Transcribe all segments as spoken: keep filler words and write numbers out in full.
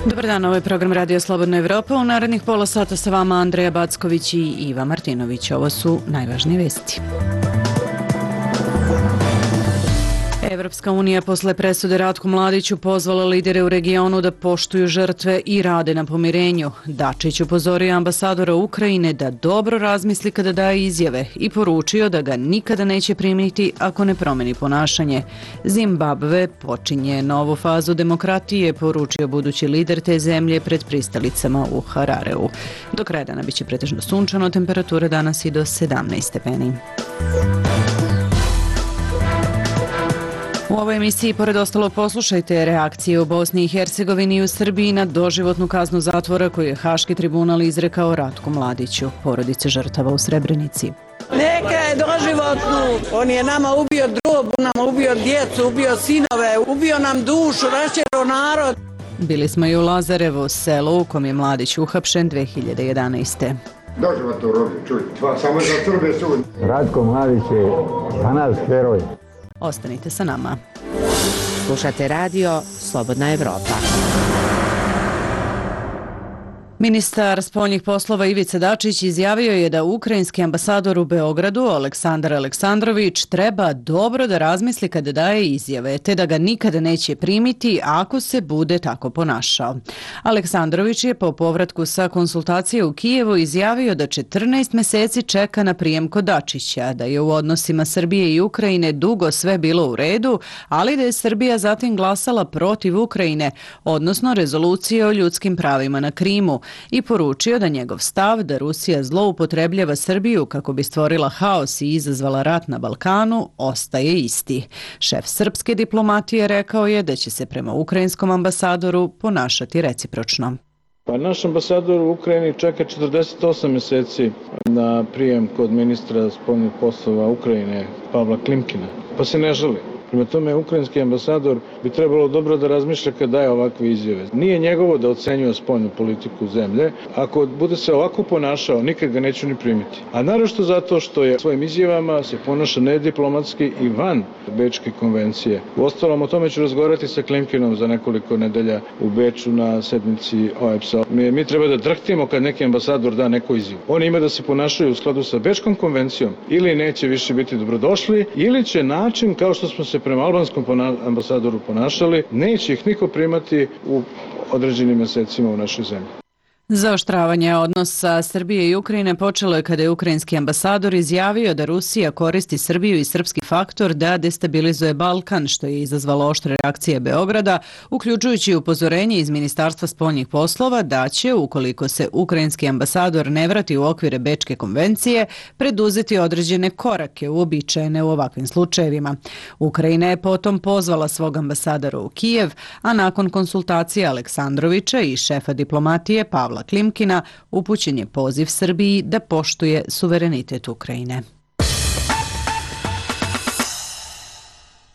Dobar dan, ovo je program Radio Slobodna Evropa. U narednih pola sata sa vama Andreja Backović i Iva Martinović. Ovo su najvažnije vesti. Evropska unija posle presude Ratku Mladiću pozvala lidere u regionu da poštuju žrtve i rade na pomirenju. Dačić upozorio ambasadora Ukrajine da dobro razmisli kada daje izjave i poručio da ga nikada neće primiti ako ne promeni ponašanje. Zimbabve počinje novu fazu demokratije, poručio budući lider te zemlje pred pristalicama u Harareu. Do kraja dana biće pretežno sunčano, temperatura danas i do sedamnaest stepeni. U ovoj emisiji, pored ostalog, poslušajte reakcije u Bosni i Hercegovini i u Srbiji na doživotnu kaznu zatvora koju je Haški tribunal izrekao Ratku Mladiću, porodice žrtava u Srebrenici. Neka je doživotnu. On je nama ubio drobu, nama ubio djecu, ubio sinove, ubio nam dušu, raščerao narod. Bili smo i u Lazarevu, selu u kom je Mladić uhapšen dve hiljade jedanaeste. Doživotno robio, čuj, samo za Srbe sud. Ratko Mladić je za nas heroj. Ostanite sa nama. Slušate radio Slobodna Evropa. Ministar spoljnih poslova Ivica Dačić izjavio je da ukrajinski ambasador u Beogradu, Aleksandar Aleksandrović, treba dobro da razmisli kada daje izjave, te da ga nikada neće primiti ako se bude tako ponašao. Aleksandrović je po povratku sa konsultacije u Kijevu izjavio da četrnaest meseci čeka na prijem kod Dačića, da je u odnosima Srbije i Ukrajine dugo sve bilo u redu, ali da je Srbija zatim glasala protiv Ukrajine, odnosno rezolucije o ljudskim pravima na Krimu, i poručio da njegov stav da Rusija zloupotrebljava Srbiju kako bi stvorila haos i izazvala rat na Balkanu ostaje isti. Šef srpske diplomatije rekao je da će se prema ukrajinskom ambasadoru ponašati recipročno. Pa naš ambasador u Ukrajini čeka četrdeset osam meseci na prijem kod ministra spoljnih poslova Ukrajine Pavla Klimkina, pa se ne žali. Prema tome, ukrajinski ambasador bi trebalo dobro da razmišlja kad daje ovakve izjave. Nije njegovo da ocenjuje spoljnu politiku zemlje. Ako bude se ovako ponašao, nikad ga neću ni primiti. A naročito zato što je svojim izjavama se ponaša nediplomatski i van Bečke konvencije. Uostalom, o tome ću razgovarati sa Klimkinom za nekoliko nedelja u Beču na sednici O E B S-a. Mi, mi treba da drhtimo kad neki ambasador da neku izjavu. Oni ima da se ponašaju u skladu sa Bečkom konvencijom ili neće više biti dobrodošli, ili će način kao što smo se prema albanskom ambasadoru ponašali, neće ih niko primati u određenim mesecima u našoj zemlji. Zaoštravanje odnosa Srbije i Ukrajine počelo je kada je ukrajinski ambasador izjavio da Rusija koristi Srbiju i srpski faktor da destabilizuje Balkan, što je izazvalo oštre reakcije Beograda, uključujući upozorenje iz Ministarstva spoljnih poslova da će, ukoliko se ukrajinski ambasador ne vrati u okvire Bečke konvencije, preduzeti određene korake uobičajene u ovakvim slučajevima. Ukrajina je potom pozvala svog ambasadora u Kijev, a nakon konsultacije Aleksandrovića i šefa diplomatije Pavla Klimkina upućen je poziv Srbiji da poštuje suverenitet Ukrajine.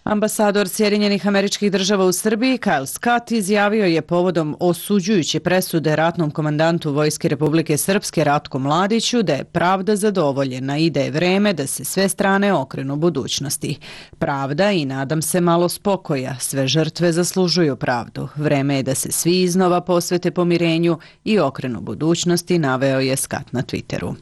Ambasador Sjedinjenih Američkih Država u Srbiji, Kyle Scott, izjavio je povodom osuđujuće presude ratnom komandantu Vojske Republike Srpske Ratku Mladiću da je pravda zadovoljena i da je vreme da se sve strane okrenu budućnosti. Pravda i, nadam se, malo spokoja. Sve žrtve zaslužuju pravdu. Vreme je da se svi iznova posvete pomirenju i okrenu budućnosti, naveo je Scott na Twitteru.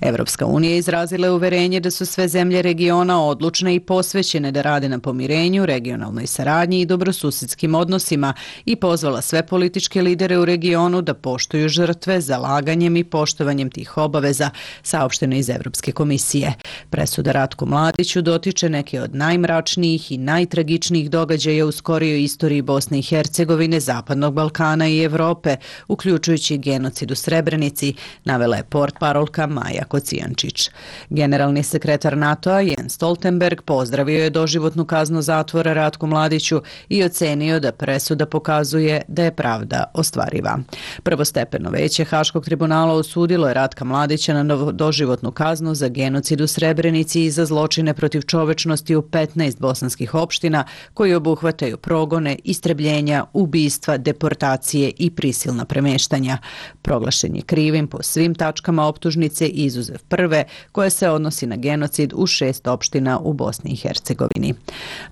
Evropska unija izrazila je uverenje da su sve zemlje regiona odlučne i posvećene da rade na pomirenju, regionalnoj saradnji i dobrosusedskim odnosima i pozvala sve političke lidere u regionu da poštuju žrtve zalaganjem i poštovanjem tih obaveza, saopšteno iz Evropske komisije. Presuda Ratku Mladiću dotiče neke od najmračnijih i najtragičnijih događaja u skorijoj istoriji Bosne i Hercegovine, Zapadnog Balkana i Evrope, uključujući genocid u Srebrenici, navela je portparolka Maja Kocijančić. Generalni sekretar NATO-a Jens Stoltenberg pozdravio je doživotnu kaznu zatvora Ratku Mladiću i ocenio da presuda pokazuje da je pravda ostvariva. Prvostepeno veće Haškog tribunala osudilo je Ratka Mladića na doživotnu kaznu za genocid u Srebrenici i za zločine protiv čovečnosti u petnaest bosanskih opština koji obuhvataju progone, istrebljenja, ubistva, deportacije i prisilna premeštanja. Proglašen je krivim po svim tačkama optužnice izuzev prve, koja se odnosi na genocid u šest opština u Bosni i Hercegovini.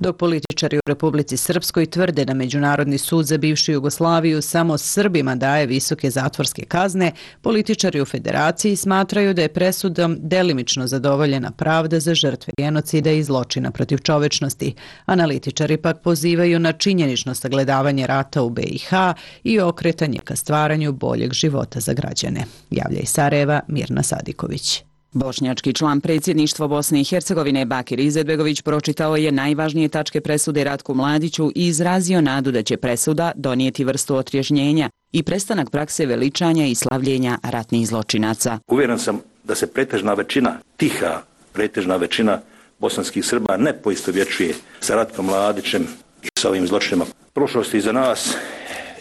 Dok političari u Republici Srpskoj tvrde da Međunarodni sud za bivšu Jugoslaviju samo Srbima daje visoke zatvorske kazne, političari u Federaciji smatraju da je presudom delimično zadovoljena pravda za žrtve genocida i zločina protiv čovečnosti. Analitičari pak pozivaju na činjenično sagledavanje rata u B i H i okretanje ka stvaranju boljeg života za građane. Javlja iz Sarajeva Mirna Sadiković. Bošnjački član predsjedništva Bosne i Hercegovine Bakir Izetbegović pročitao je najvažnije tačke presude Ratku Mladiću i izrazio nadu da će presuda donijeti vrstu otrežnjenja i prestanak prakse veličanja i slavljenja ratnih zločinaca. Uvjeren sam da se pretežna većina, tiha pretežna većina bosanskih Srba ne poistovjećuje sa Ratkom Mladićem i sa ovim zločinima. Prošlost je iza nas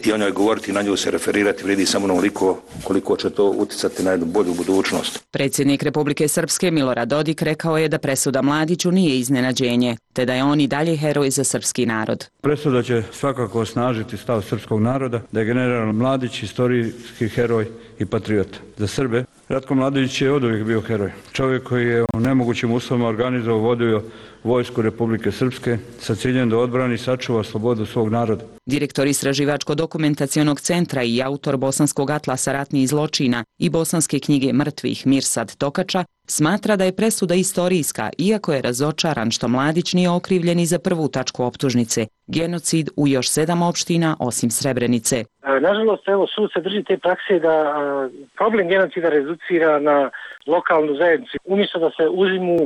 i o njoj govoriti, na nju se referirati vrijedi samo onoliko koliko će to uticati na jednu bolju budućnost. Predsjednik Republike Srpske Milorad Dodik rekao je da presuda Mladiću nije iznenađenje, te da je on i dalje heroj za srpski narod. Presuda će svakako osnažiti stav srpskog naroda da je general Mladić historijski heroj i patriot. Za Srbe Ratko Mladić je oduvijek bio heroj. Čovjek koji je u nemogućim uslovima organizovao vodio vojsku Republike Srpske sa ciljem da odbrani i sačuva slobodu svog naroda. Direktor Istraživačko-dokumentacionog centra i autor Bosanskog atlasa ratnih zločina i Bosanske knjige mrtvih Mirsad Tokača smatra da je presuda istorijska, iako je razočaran što Mladić nije okrivljen i za prvu tačku optužnice, genocid u još sedam opština osim Srebrenice. Nažalost, evo, sud se drži te prakse da a, problem genocida reducira na lokalnu zajednicu. Umjesto da se uzimu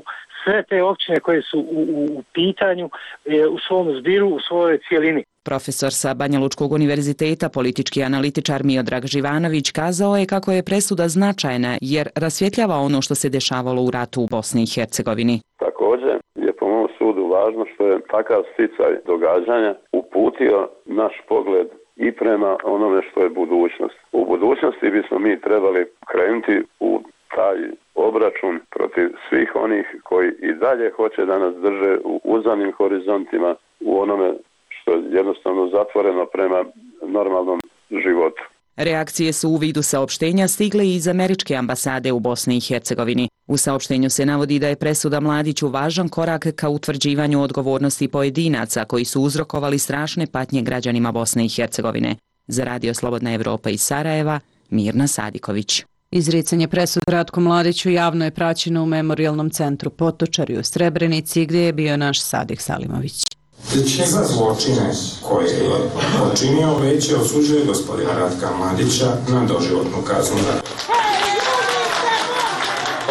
sve te općine koje su u, u, u pitanju e, u svom zbiru, u svojoj cijelini. Profesor sa Banja Lučkog univerziteta, politički analitičar Miodrag Živanović kazao je kako je presuda značajna jer rasvjetljava ono što se dešavalo u ratu u Bosni i Hercegovini. Također je po mom sudu važno što je takav sticaj događanja uputio naš pogled i prema onome što je budućnost. U budućnosti bismo mi trebali krenuti u taj obračun protiv svih onih koji i dalje hoće da nas drže u uzanim horizontima, u onome što je jednostavno zatvoreno prema normalnom životu. Reakcije su u vidu saopštenja stigle i iz američke ambasade u Bosni i Hercegovini. U saopštenju se navodi da je presuda Mladiću važan korak ka utvrđivanju odgovornosti pojedinaca koji su uzrokovali strašne patnje građanima Bosne i Hercegovine. Za Radio Slobodna Evropa iz Sarajeva, Mirna Sadiković. Izricanje presude Ratku Mladiću javno je praćeno u Memorijalnom centru Potočari u Srebrenici gdje je bio naš Sadik Salimović. Za zločine koje je počinio veće osuđuje gospodina Ratka Mladića na doživotnu kaznu zatvora.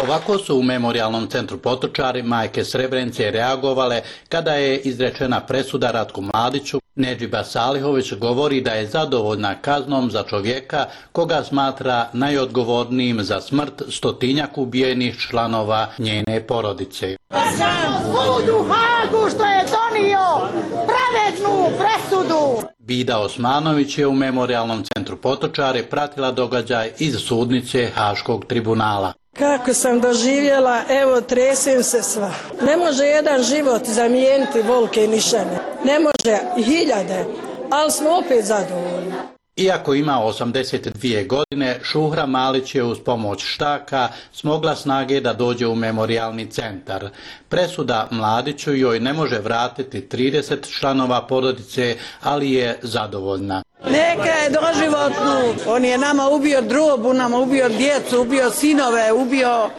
Ovako su u Memorijalnom centru Potočari majke Srebrenice reagovale kada je izrečena presuda Ratku Mladiću. Nedžiba Salihović govori da je zadovoljna kaznom za čovjeka koga smatra najodgovornijim za smrt stotinjak ubijenih članova njene porodice. Sam sud u Hagu što je donio pravednu presudu. Bida Osmanović je u Memorijalnom centru Potočari pratila događaj iz sudnice Haškog tribunala. Kako sam doživjela, evo tresem se sva. Ne može jedan život zamijeniti volke i nišane. Ne može i hiljade, ali smo opet zadovoljni. Iako ima osamdeset dvije godine, Šuhra Malić je uz pomoć štaka smogla snage da dođe u memorijalni centar. Presuda Mladiću joj ne može vratiti trideset članova porodice, ali je zadovoljna. Neka je doživotnu. On je nama ubio drobu, nama ubio djecu, ubio sinove, ubio,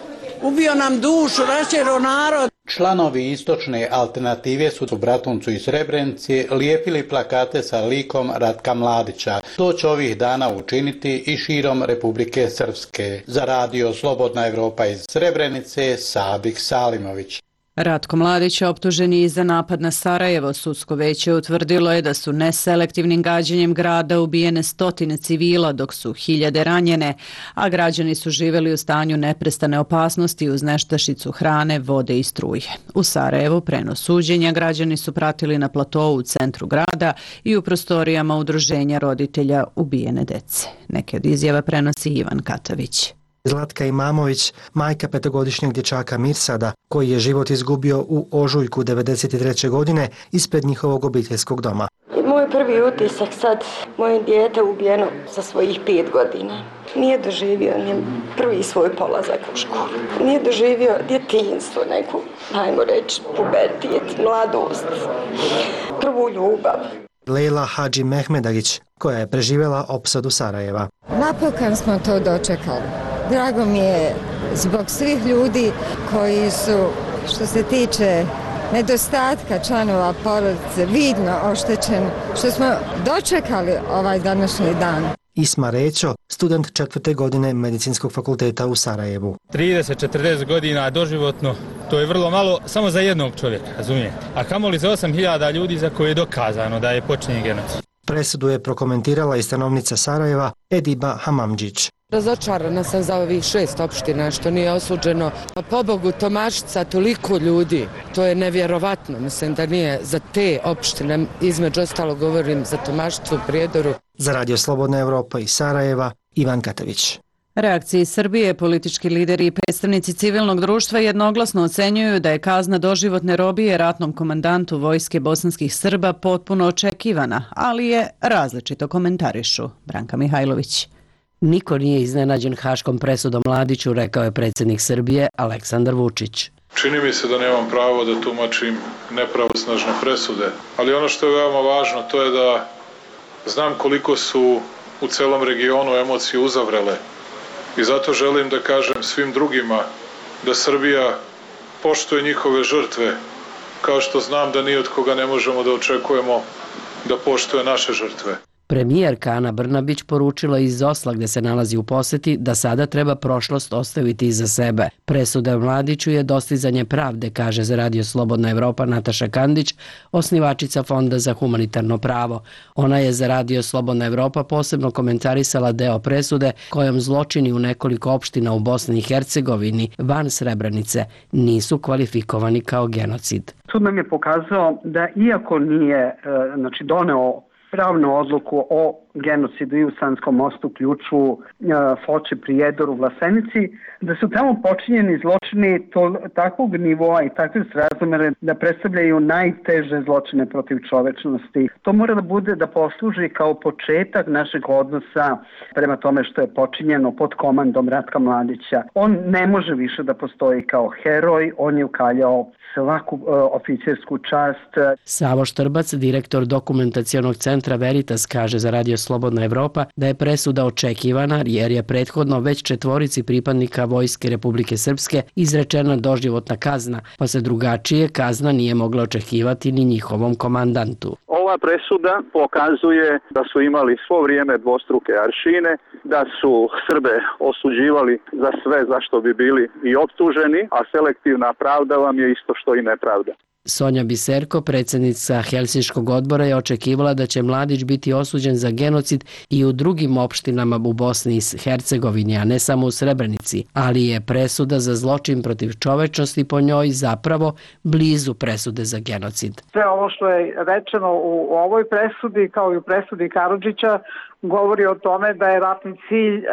ubio nam dušu, raščero narod. Članovi istočne alternative su u Bratuncu i Srebrenici lijepili plakate sa likom Ratka Mladića. To će ovih dana učiniti i širom Republike Srpske. Za Radio Slobodna Evropa iz Srebrenice, Sadik Salimović. Ratko Mladić optužen je i za napad na Sarajevo. Sudsko veće utvrdilo je da su neselektivnim gađanjem grada ubijene stotine civila, dok su hiljade ranjene, a građani su živjeli u stanju neprestane opasnosti uz nestašicu hrane, vode i struje. U Sarajevu prenos suđenja građani su pratili na platovu u centru grada i u prostorijama udruženja roditelja ubijene dece. Neke od izjava prenosi Ivan Katavić. Zlatka Imamović, majka petogodišnjeg dječaka Mirsada, koji je život izgubio u ožujku devedeset treće godine ispred njihovog obiteljskog doma. Moj prvi utisak sad, moje dijete ubijeno sa svojih pet godina. Nije doživio ni prvi svoj polazak u školu. Nije doživio djetinjstvo, neku, ajmo reći, pubertijet, mladost, prvu ljubav. Lejla Hadži Mehmedarić, koja je preživjela opsadu Sarajeva. Napokon smo to dočekali. Drago mi je zbog svih ljudi koji su, što se tiče nedostatka članova porodice, vidno oštećeni, što smo dočekali ovaj današnji dan. Isma Rećo, student četvrte godine Medicinskog fakulteta u Sarajevu. trideset do četrdeset godina doživotno, to je vrlo malo samo za jednog čovjeka, razumijete? A kamoli za osam hiljada ljudi za koje je dokazano da je počinjen genocid. Presudu je prokomentirala i stanovnica Sarajeva Ediba Hamamđić. Razočarana sam za ovih šest opština što nije osuđeno. Pa pobogu Tomašica toliko ljudi, to je nevjerovatno. Mislim da nije za te opštine, između ostalo govorim za Tomašicu, Prijedoru. Za Radio Slobodna Evropa iz Sarajeva, Ivan Katavić. Reakcije Srbije, politički lideri i predstavnici civilnog društva jednoglasno ocenjuju da je kazna doživotne robije ratnom komandantu vojske bosanskih Srba potpuno očekivana, ali je različito komentarišu. Branka Mihajlović. Niko nije iznenađen haškom presudom Mladiću, rekao je predsjednik Srbije Aleksandar Vučić. Čini mi se da nemam pravo da tumačim nepravosnažne presude, ali ono što je veoma važno to je da znam koliko su u celom regionu emocije uzavrele i zato želim da kažem svim drugima da Srbija poštuje njihove žrtve, kao što znam da ni od koga ne možemo da očekujemo da poštuje naše žrtve. Premijerka Ana Brnabić poručila iz Osla, gdje se nalazi u posjeti, da sada treba prošlost ostaviti iza sebe. Presuda Mladiću je dostizanje pravde, kaže za Radio Slobodna Evropa Nataša Kandić, osnivačica Fonda za humanitarno pravo. Ona je za Radio Slobodna Evropa posebno komentarisala deo presude kojom zločini u nekoliko opština u Bosni i Hercegovini van Srebrenice nisu kvalifikovani kao genocid. Sud nam je pokazao da iako nije znači, doneo pravnu odluku o genocidu i u Sanskom mostu, Ključu, Foči, Prijedoru, Vlasenici, da su tamo počinjeni zločini to, takvog nivoa i takve razmere da predstavljaju najteže zločine protiv čovečnosti. To mora da bude da posluži kao početak našeg odnosa prema tome što je počinjeno pod komandom Ratka Mladića. On ne može više da postoji kao heroj, on je ukaljao svaku uh, oficersku čast. Savo Štrbac, direktor dokumentacionog centra Veritas, kaže za Radio Slobodna Evropa da je presuda očekivana jer je prethodno već četvorici pripadnika Vojske Republike Srpske izrečena doživotna kazna, pa se drugačije kazna nije mogla očekivati ni njihovom komandantu. Ova presuda pokazuje da su imali svo vrijeme dvostruke aršine, da su Srbe osuđivali za sve za što bi bili i optuženi, a selektivna pravda vam je isto što i nepravda. Sonja Biserko, predsjednica Helsinškog odbora, je očekivala da će Mladić biti osuđen za genocid i u drugim opštinama u Bosni i Hercegovini, a ne samo u Srebrenici, ali je presuda za zločin protiv čovečnosti po njoj zapravo blizu presude za genocid. Sve ovo što je rečeno u ovoj presudi, kao i u presudi Karadžića, govori o tome da je ratni cilj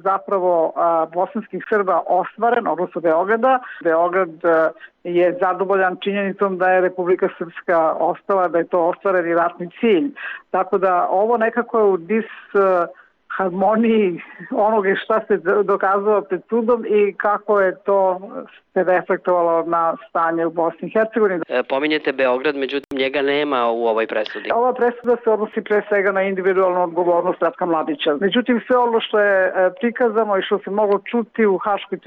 zapravo bosanskih Srba ostvaren, odnosno Beograda. Beograd je zadovoljan činjenicom da je Republika Srpska ostala, da je to ostvareni ratni cilj. Tako da ovo nekako je u dis harmoniji onoga šta se dokazalo pred sudom i kako je to se reflektovalo na stanje u Bosni i Hercegovini. E, pominjete Beograd, međutim njega nema u ovoj presudi. Ova presuda se odnosi pre svega na individualnu odgovornost Ratka Mladića. Međutim, sve ono što je prikazano i što se moglo čuti u haškoj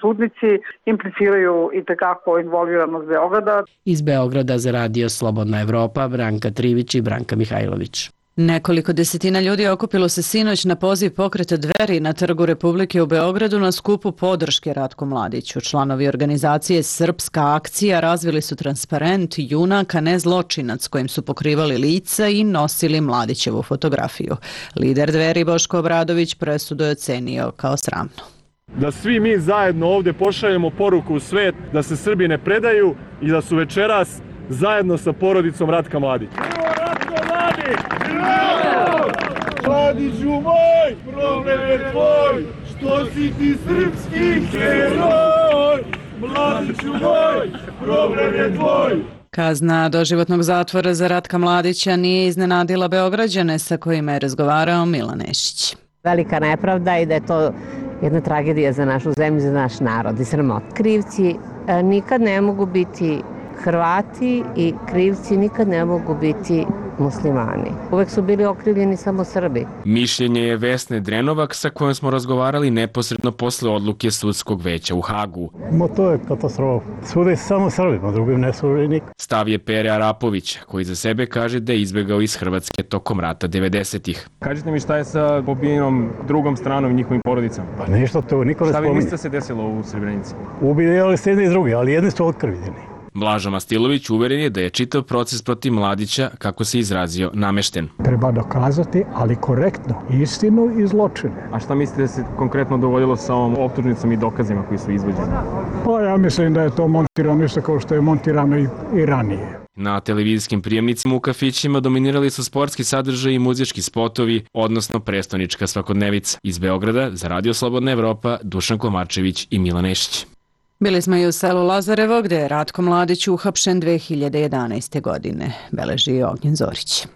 sudnici impliciraju i tekako involviranost Beograda. Iz Beograda za Radio Slobodna Evropa, Branka Trivić i Branka Mihajlović. Nekoliko desetina ljudi okupilo se sinoć na poziv pokreta Dveri na Trgu Republike u Beogradu na skupu podrške Ratku Mladiću. Članovi organizacije Srpska akcija razvili su transparent Junak, a ne zločinac, kojim su pokrivali lica i nosili Mladićevu fotografiju. Lider Dveri Boško Obradović presudu je ocenio kao sramno. Da svi mi zajedno ovdje pošaljemo poruku u svet da se Srbi ne predaju i da su večeras zajedno sa porodicom Ratka Mladića. Mladiću moj, problem je tvoj, što si ti srpski heroj. Mladiću moj, problem je tvoj. Kazna doživotnog zatvora za Ratka Mladića nije iznenadila Beograđane sa kojima je razgovarao Milan Nešić. Velika nepravda i da je to jedna tragedija za našu zemlju, za naš narod i sramot. Krivci nikad ne mogu biti Hrvati i krivci nikad ne mogu biti muslimani. Uvek su bili okrivljeni samo Srbi. Mišljenje je Vesne Drenovak sa kojom smo razgovarali neposredno posle odluke sudskog veća u Hagu. Mo to je katastrofa. Sude samo Srbima, drugim ne sude nik. Stav je Pere Arapović, koji za sebe kaže da je izbegao iz Hrvatske tokom rata devedesetih. Kažite mi šta je sa pobijenom drugom stranom i njihovim porodicama? Pa nešto to niko ne spominje. Šta vi mislite se desilo u Srebrenici? Ubijali se jedni i drugi, ali jedni su otkrivljeni. Blažo Mastilović uveren je da je čitav proces protiv Mladića, kako se izrazio, namešten. Treba dokazati, ali korektno, istinu i zločine. A šta mislite da se konkretno dogodilo sa ovom optužnicom i dokazima koji su izvođeni? Pa ja mislim da je to montirano isto kao što je montirano i, i ranije. Na televizijskim prijemnicima u kafićima dominirali su sportski sadržaj i muzički spotovi, odnosno prestonička svakodnevica. Iz Beograda za Radio Slobodna Evropa, Dušan Komarčević i Milan Nešić. Bili smo i u selu Lazarevo, gde je Ratko Mladić uhapšen dve hiljade jedanaeste. godine, beleži Ognjen Zorić.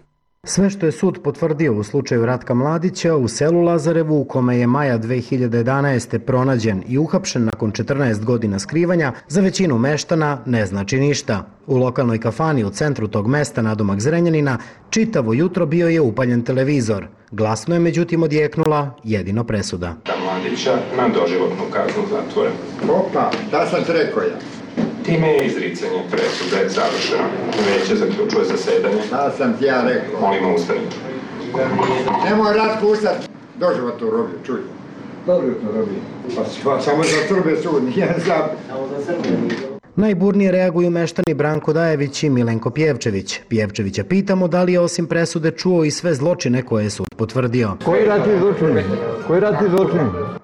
Sve što je sud potvrdio u slučaju Ratka Mladića u selu Lazarevu, u kome je maja dve hiljade jedanaeste. pronađen i uhapšen nakon četrnaest godina skrivanja, za većinu meštana ne znači ništa. U lokalnoj kafani u centru tog mesta nadomak Zrenjanina čitavo jutro bio je upaljen televizor. Glasno je međutim odjeknula jedino presuda. Mladića na doživotnu kaznu zatvora. Opa, da sam ti rekao ja. Time je izricanje presude završeno. Veće zaključuje zasedanje. Da sam ti ja rekao. Molimo ustanite. Nemoj Ratko ustati. Doživotnu robiju, čuj. Doživotnu robiju. Pa samo za Srbe sud, nije za... Samo za Srbe. Najburnije reaguju meštani Branko Dajević i Milenko Pjevčević. Pjevčevića pitamo da li je osim presude čuo i sve zločine koje je sud potvrdio. Koji ratni zločin? Koji ratni zločin?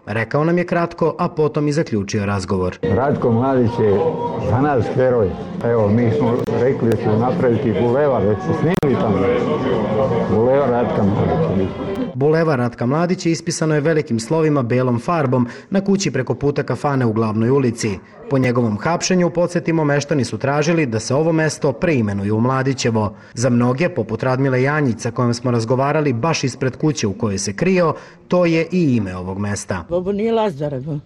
Rekao nam je kratko, a potom i zaključio razgovor. Ratko Mladić je za nas heroj. Evo, mi smo rekli da ćemo napraviti bulevar, već se snimili tamo. Bulevar Ratka Mladića. Bulevar Ratka Mladića ispisano je velikim slovima belom farbom na kući preko puta kafane u Glavnoj ulici. Po njegovom hapšenju, podsjetimo, meštani su tražili da se ovo mesto preimenuje u Mladićevo. Za mnoge, poput Radmile Janjić, sa kojom smo razgovarali baš ispred kuće u kojoj se krio, to je i ime ovog mesta. Ovo nije Lazarevo,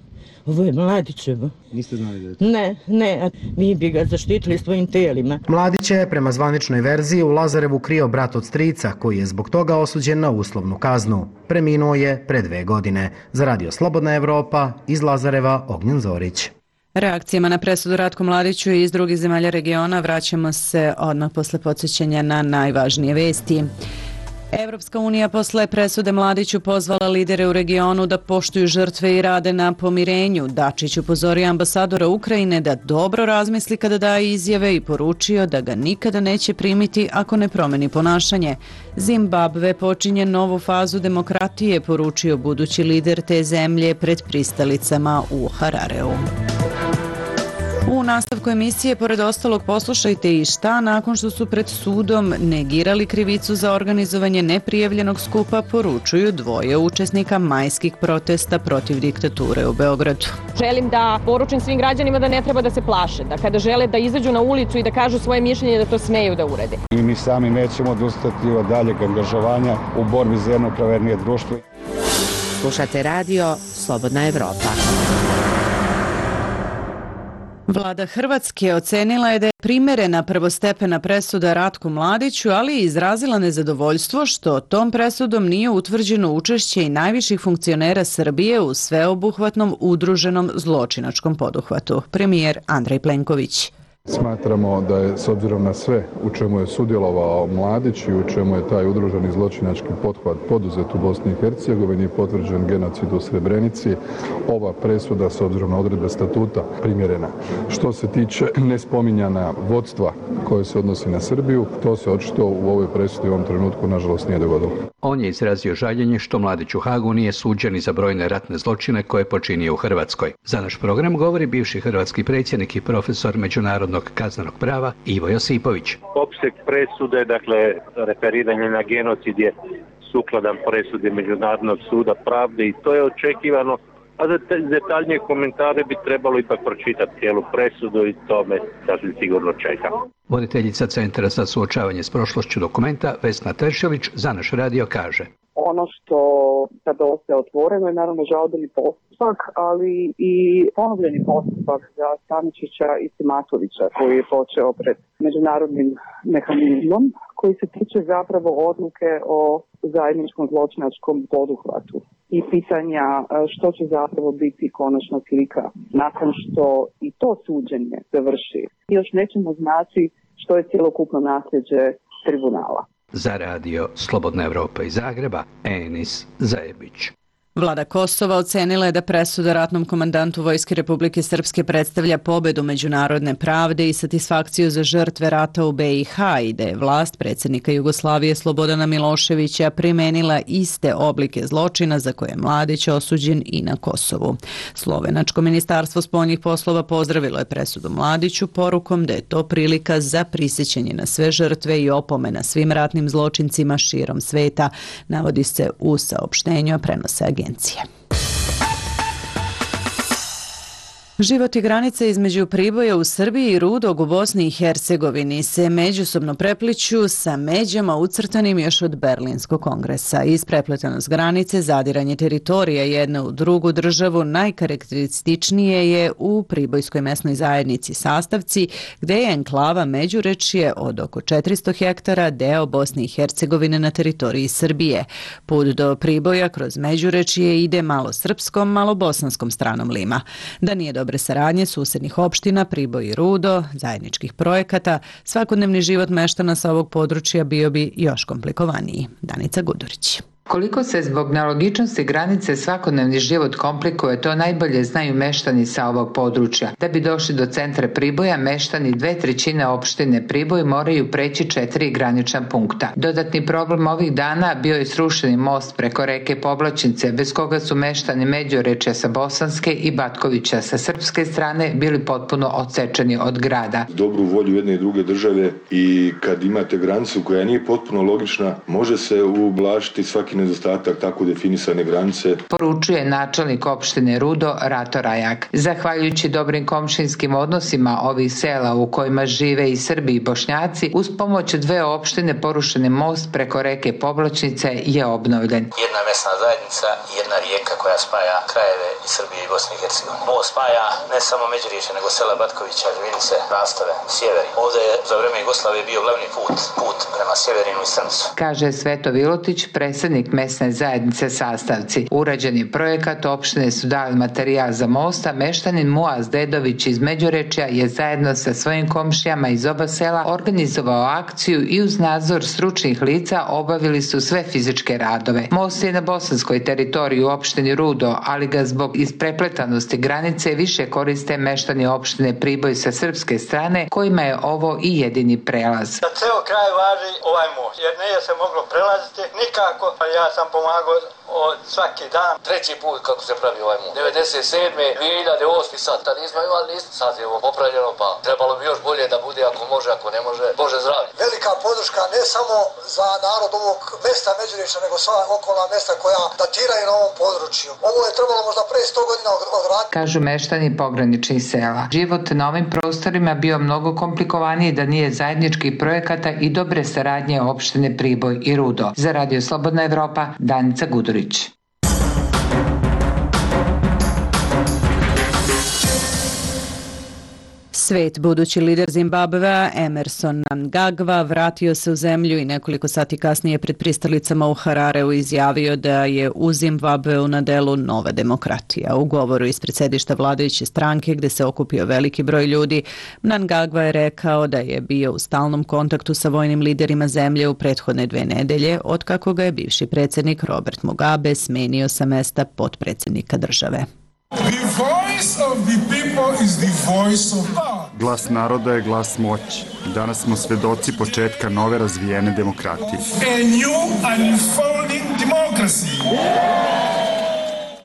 ovo je Mladićevo. Niste znali da je to? Ne, ne, mi bi ga zaštitili svojim telima. Mladića je, prema zvaničnoj verziji, u Lazarevu krio brat od strica, koji je zbog toga osuđen na uslovnu kaznu. Preminuo je pre dve godine. Za Radio Slobodna Evropa, iz Lazareva, Ognjen Zorić. Reakcijama na presudu Ratku Mladiću i iz drugih zemalja regiona vraćamo se odmah posle podsjećanja na najvažnije vesti. Evropska unija posle presude Mladiću pozvala lidere u regionu da poštuju žrtve i rade na pomirenju. Dačić upozorio ambasadora Ukrajine da dobro razmisli kada daje izjave i poručio da ga nikada neće primiti ako ne promeni ponašanje. Zimbabve počinje novu fazu demokratije, poručio budući lider te zemlje pred pristalicama u Harareu. U nastavku emisije, pored ostalog, poslušajte i šta nakon što su pred sudom negirali krivicu za organizovanje neprijavljenog skupa, poručuju dvoje učesnika majskih protesta protiv diktature u Beogradu. Želim da poručim svim građanima da ne treba da se plaše, da kada žele da izađu na ulicu i da kažu svoje mišljenje, da to smeju da urede. I mi sami nećemo odustati od daljeg angažovanja u borbi za jedno pravednije društvo. Slušate radio Slobodna Evropa. Vlada Hrvatske ocenila je da je primerena prvostepena presuda Ratku Mladiću, ali je izrazila nezadovoljstvo što tom presudom nije utvrđeno učešće i najviših funkcionera Srbije u sveobuhvatnom udruženom zločinačkom poduhvatu. Premijer Andrej Plenković. Smatramo da je, s obzirom na sve u čemu je sudjelovao Mladić i u čemu je taj udruženi zločinački pothvat poduzet u Bosni i Hercegovini, potvrđen genocid u Srebrenici, ova presuda s obzirom na odredbe statuta primjerena. Što se tiče nespominjana vodstva koje se odnosi na Srbiju, to se očito u ovoj presudi u ovom trenutku nažalost nije dogodilo. On je izrazio žaljenje što Mladić u Hagu nije suđen za brojne ratne zločine koje je počinio u Hrvatskoj. Za naš program govori bivši hrvatski predsjednik i profesor međunarodnog kaznenog prava Ivo Josipović. Opseg presude, dakle referiranje na genocid je sukladan presudi Međunarodnog suda pravde i to je očekivano, a za detaljnije komentare bi trebalo ipak pročitati cijelu presudu i to me sasvim sigurno čeka. Voditeljica Centra za suočavanje s prošlošću Dokumenta Vesna Teršović za naš radio kaže: Ono što sada ostaje otvoreno je naravno žalbeni postupak, ali i ponovljeni postupak za Staničića i Simatovića koji je počeo pred međunarodnim mehanizmom koji se tiče zapravo odluke o zajedničkom zločinačkom poduhvatu i pitanja što će zapravo biti konačna slika nakon što i to suđenje završi. Još nećemo znati što je cjelokupno nasljeđe tribunala. Za radio Slobodna Evropa iz Zagreba, Enis Zajebić. Vlada Kosova ocenila je da presuda ratnom komandantu Vojske Republike Srpske predstavlja pobedu međunarodne pravde i satisfakciju za žrtve rata u B i H i da je vlast predsjednika Jugoslavije Slobodana Miloševića primenila iste oblike zločina za koje je Mladić osuđen i na Kosovu. Slovenačko ministarstvo spoljnih poslova pozdravilo je presudu Mladiću porukom da je to prilika za prisjećanje na sve žrtve i opomena svim ratnim zločincima širom sveta, navodi se u saopštenju, a prenose agencije. Život i granice između Priboja u Srbiji i Rudog u Bosni i Hercegovini se međusobno prepliću sa međama ucrtanim još od Berlinskog kongresa. Isprepletanost granice, zadiranje teritorija jedne u drugu državu najkarakterističnije je u Pribojskoj mesnoj zajednici Sastavci, gde je enklava Međurečje od oko četiristo hektara deo Bosne i Hercegovine na teritoriji Srbije. Put do Priboja kroz Međurečje ide malo srpskom, malo bosanskom stranom Lima. Da nije dobre saradnje susednih opština, Priboj i Rudo, zajedničkih projekata, svakodnevni život meštana sa ovog područja bio bi još komplikovaniji. Danica Gudurić. Koliko se zbog nelogičnosti granice svakodnevni život komplikuje, to najbolje znaju meštani sa ovog područja. Da bi došli do centra Priboja, meštani dve trećine opštine Priboj moraju preći četiri granična punkta. Dodatni problem ovih dana bio je srušeni most preko reke Povlačnice, bez koga su meštani Međurečja sa bosanske i Batkovića sa srpske strane bili potpuno odsečeni od grada. Dobru volju jedne i druge države i kad imate granicu koja nije potpuno logična, može se ublažiti svaki nedostatak tako definisane granice. Poručuje načelnik opštine Rudo Rato Rajak. Zahvaljujući dobrim komšinskim odnosima ovih sela u kojima žive i Srbi i Bošnjaci, uz pomoć dve opštine porušeni most preko reke Povlačnice je obnovljen. Jedna mesna zajednica i jedna rijeka koja spaja krajeve i Srbije i Bosne i Hercegovine. Ovo spaja ne samo Međurečje, nego sela Batkovića, Žvinice, Rastave, Sjeveri. Ovdje je za vreme Jugoslavije bio glavni put, put prema Sjeverinu i Strmcu. Kaže Sveto Vilotić, predsjednik mesne zajednice Sastavci. Urađen je projekat, opštine su dali materijal za mosta, meštanin Muaz Dedović iz Međurečja je zajedno sa svojim komšijama iz oba sela organizovao akciju i uz nadzor stručnih lica obavili su sve fizičke radove. Most je na bosanskoj teritoriji u opštini Rudo, ali ga zbog isprepletanosti granice više koriste meštani opštine Priboj sa srpske strane, kojima je ovo i jedini prelaz. Za ceo kraj važi ovaj most, jer nije se moglo prelaziti nikako, a ja sam pomagao od svaki dan. Treći put kako se pravi ovaj most. devedeset sedme dvije hiljade osme sad, tad nismo imali ništa, sad je ovo popravljeno, pa trebalo bi još bolje da bude ako može, ako ne može, Bože zdravlje. Velika podrška ne samo za narod ovog mesta Međurečja, nego sva okolna mesta koja datiraju na ovom području. Ovo je trebalo možda pre sto godina odraditi. Kažu meštani pograničnih sela. Život na ovim prostorima bio mnogo komplikovaniji da nije zajedničkih projekata i dobre saradnje opštine Priboj i Rudo. Za Radio Slobodna Evropa, Danica Gudurić. Svet budući lider Zimbabvea Emerson Mnangagwa vratio se u zemlju i nekoliko sati kasnije pred pristalicama u Harareu izjavio da je u Zimbabveu na delu nova demokratija. U govoru ispred sedišta vladajuće stranke gde se okupio veliki broj ljudi, Mnangagwa je rekao da je bio u stalnom kontaktu sa vojnim liderima zemlje u prethodne dve nedelje, otkako ga je bivši predsjednik Robert Mugabe smenio sa mesta potpredsjednika države. Glas naroda je glas moći. Danas smo svedoci početka nove razvijene demokratije.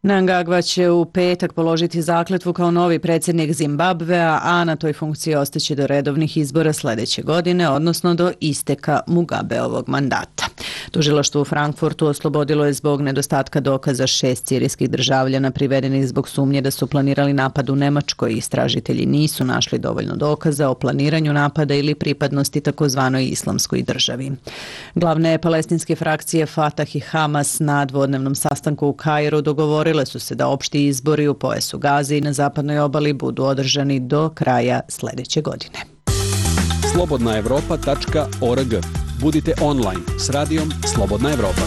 Mnangagwa će u petak položiti zakletvu kao novi predsjednik Zimbabvea, a na toj funkciji ostaće do redovnih izbora sljedeće godine, odnosno do isteka Mugabeovog mandata. Tužilaštvo u Frankfurtu oslobodilo je zbog nedostatka dokaza šest sirijskih državljana privedenih zbog sumnje da su planirali napad u Nemačkoj. Istražitelji nisu našli dovoljno dokaza o planiranju napada ili pripadnosti takozvanoj islamskoj državi. Glavne palestinske frakcije Fatah i Hamas na dvodnevnom sastanku u Kairu dogovorile su se da opšti izbori u pojasu Gaze i na zapadnoj obali budu održani do kraja sljedeće godine. slobodna evropa tačka org. Budite online s radijom Slobodna Evropa.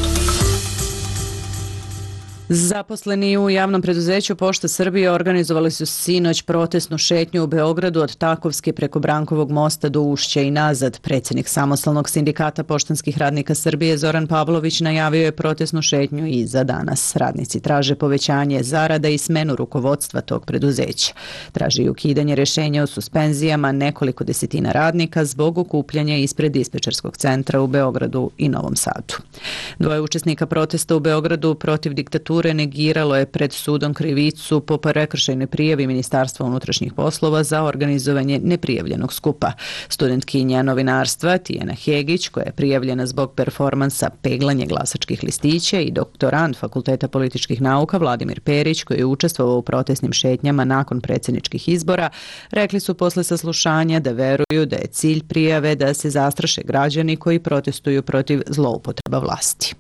Zaposleni u javnom preduzeću Pošta Srbije organizovali su sinoć protestnu šetnju u Beogradu od Takovske preko Brankovog mosta do Ušća i nazad. Predsjednik Samostalnog sindikata poštanskih radnika Srbije Zoran Pavlović najavio je protestnu šetnju i za danas. Radnici traže povećanje zarada i smenu rukovodstva tog preduzeća. Traži i ukidanje rješenja o suspenzijama nekoliko desetina radnika zbog okupljanja ispred dispečerskog centra u Beogradu i Novom Sadu. Dvoje učesnika protesta u Beogradu protiv diktature negiralo je pred sudom krivicu po prekršajnoj prijavi Ministarstva unutrašnjih poslova za organizovanje neprijavljenog skupa. Studentkinja novinarstva Tijana Hegić, koja je prijavljena zbog performansa peglanje glasačkih listića, i doktorant Fakulteta političkih nauka Vladimir Perić, koji je učestvovao u protestnim šetnjama nakon predsjedničkih izbora, rekli su posle saslušanja da veruju da je cilj prijave da se zastraše građani koji protestuju protiv zloupotreba vlasti.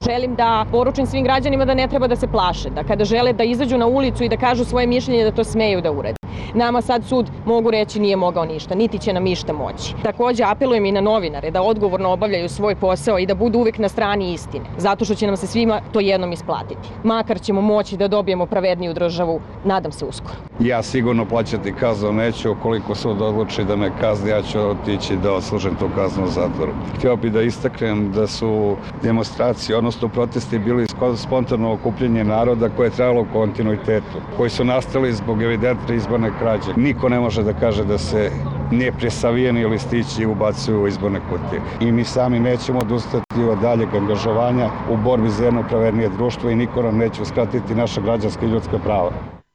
Želim da poručim svim građanima da ne treba da se plaše, da kada žele da izađu na ulicu i da kažu svoje mišljenje, da to smeju da urede. Nama sad sud, mogu reći, nije mogao ništa, niti će nam ništa moći. Također apelujem i na novinare da odgovorno obavljaju svoj posao i da budu uvijek na strani istine, zato što će nam se svima to jednom isplatiti. Makar ćemo moći da dobijemo pravedniju državu, nadam se uskoro. Ja sigurno plaćati kaznu neću, ukoliko sud odluči da me kazni, ja ću otići da odslužim tu kaznu u zatvoru. Htio bih da istaknem da su demonstracije, odnosno protesti bili spontano okupljanje naroda koje je trajalo u kontinuitetu, koji su nastali zbog evidentne izborne krađe. Niko ne može da kaže da se nepresavijeni listići ubacuju u izborne kutije. I mi sami nećemo odustati od daljeg angažovanja u borbi za jedno pravednije društvo i niko nam neće uskratiti naša građanska i ljudska prava.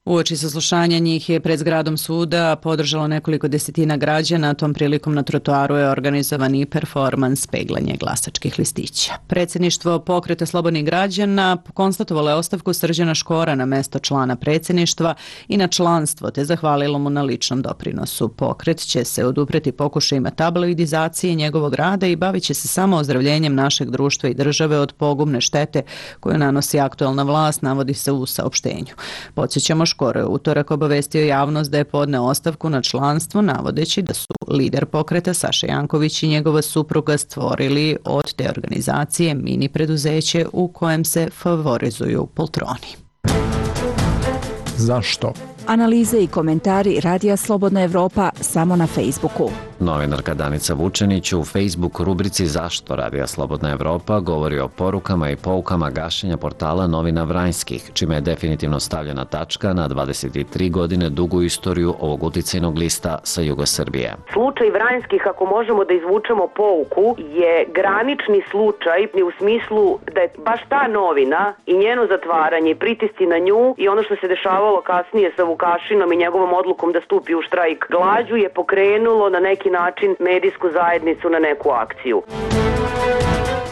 Uoči saslušanja njih je pred zgradom suda podržalo nekoliko desetina građana, tom prilikom na trotoaru je organizovan i performans peglanje glasačkih listića. Predsjedništvo Pokreta slobodnih građana konstatovalo je ostavku Srđana Škora na mesto člana predsjedništva i na članstvo, te zahvalilo mu na ličnom doprinosu. Pokret će se odupreti pokušajima tabloidizacije njegovog rada i bavit će se samo ozdravljenjem našeg društva i države od pogubne štete koju nanosi aktuelna vlast, navodi se u saopštenju. Podsjećamo, Škoro je utorak obavestio javnost da je podneo ostavku na članstvo, navodeći da su lider pokreta Saša Janković i njegova supruga stvorili od te organizacije mini preduzeće u kojem se favorizuju poltroni. Zašto? Analize i komentari Radija Slobodna Evropa samo na Facebooku. Novinarka Danica Vučenić u Facebook rubrici Zašto Radija Slobodna Evropa govori o porukama i poukama gašenja portala Novina Vranjskih, čime je definitivno stavljena tačka na dvadeset tri godine dugu istoriju ovog uticajnog lista sa juga Srbije. Slučaj Vranjskih, ako možemo da izvučemo pouku, je granični slučaj u smislu da je baš ta novina i njeno zatvaranje, pritisci na nju i ono što se dešavalo kasnije sa Vukašinom i njegovom odlukom da stupi u štrajk glađu je pokrenulo na neki način medijsku zajednicu na neku akciju.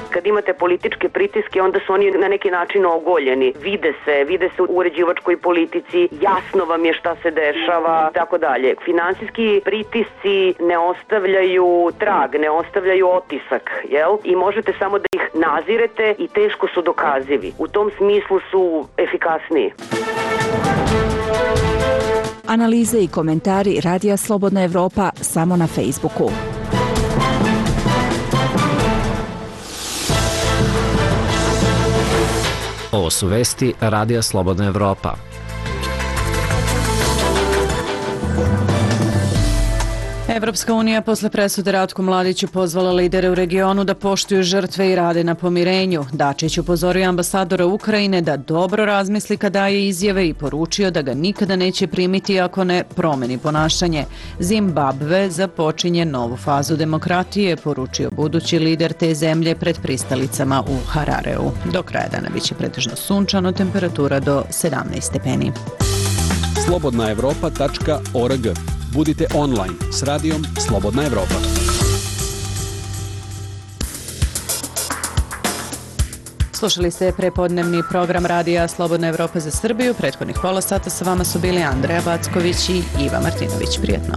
Kad imate političke pritiske, onda su oni na neki način ogoljeni. Vide se, vide se u uređivačkoj politici, jasno vam je šta se dešava, tako dalje. Finansijski pritisci ne ostavljaju trag, ne ostavljaju otisak, jel? I možete samo da ih nazirete i teško su dokazivi. U tom smislu su efikasniji. Analize i komentari Radija Slobodna Evropa samo na Facebooku. Ovo su vesti Radija Slobodna Evropa. Evropska unija posle presude Ratku Mladiću pozvala lidere u regionu da poštuju žrtve i rade na pomirenju. Dačić upozorio ambasadora Ukrajine da dobro razmisli kada daje izjave i poručio da ga nikada neće primiti ako ne promeni ponašanje. Zimbabve započinje novu fazu demokratije, poručio budući lider te zemlje pred pristalicama u Harareu. Do kraja dana biće pretežno sunčano, temperatura do sedamnaest stepeni. slobodna evropa tačka org. Budite online s radijom Slobodna Evropa. Slušali ste prepodnevni program Radija Slobodna Evropa za Srbiju. Prethodnih pola sata sa vama su bili Andreja Backović i Iva Martinović. Prijetno.